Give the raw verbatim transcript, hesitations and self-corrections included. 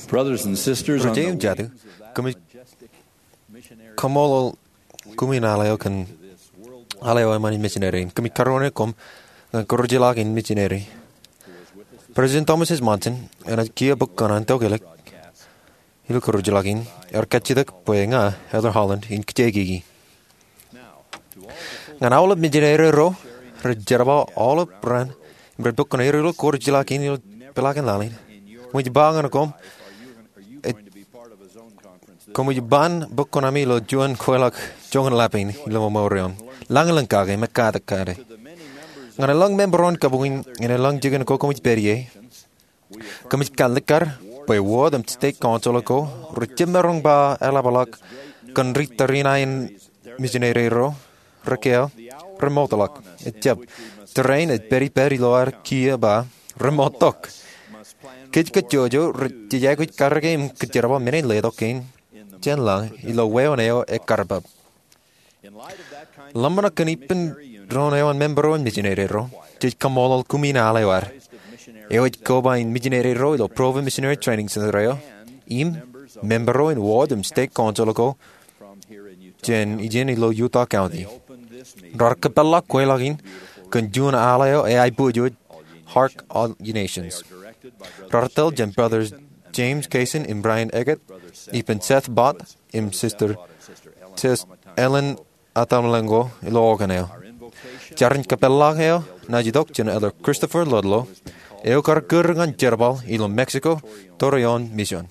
Ri-jeiū im jatū, kōmij kaṃṃoolol kumi in al eo kōn al eo eṃṃan in misineri in. Kōmij karuo koṃ ñan kōrujḷọk in misineri. President Thomas S. Monson enaaj kiiō bōk kōṇaan tokālik ilo kōrujḷọk in, ear kajjitōk bwe ña, Elder Holland, in kajjioñ kiki. Ñan aolep misineri ro rej jerbal aolep raan im rej bōk kōṇaan ilo kōrujḷọk in ilo peḷaakin laḷ in, kōmij ba ñan koṃ, kōmij ban bōk kōṇaami ilo juon kweilọk joñan lap in ilo memorial. Lañlōñ kake im ekkatak kake. Ñan elōñ member eo in kabuñ in, ñan elōñ jikin ko kōmij pād ie, kōmij kalikkar bwe ward im state council ko rej jab maroñ ba eḷapḷọk kōn ri tariṇae in misineri ro, rūkaki eo, remootḷọk. Ejjab. Tōre in ej pād ippād ilo ad kiiō ba remoottok. Kōj kajjojo rej, jej aikuj karōke im kōjerbal men in letok kein jān lañ ilo wāween eo ekkar pād. Ḷōmṇak kōn ippān doon eo an member eo in misineri ro, jej kaṃṃoolol kumi in al eo ad, eo ej koba in misineri ro ilo Provo Missionary Training Center eo, im member eo in ward im state council ko jān ijin ilo Utah County. Raar kōpeḷḷọk kweilọk in kōn juon al eo eaiboojoj, Hark All Ye Nations. Raar tōl jān Brothers James Kaysen im Brian Eggett, ippān Seth Bott im Sister Ellen Atamlengo ilo organ eo. Jar in kōpeḷḷọk eo naaj itok jān Elder Christopher Ludlow, eo kar kūr ñan jerbal ilo Mexico tōre ioon mission.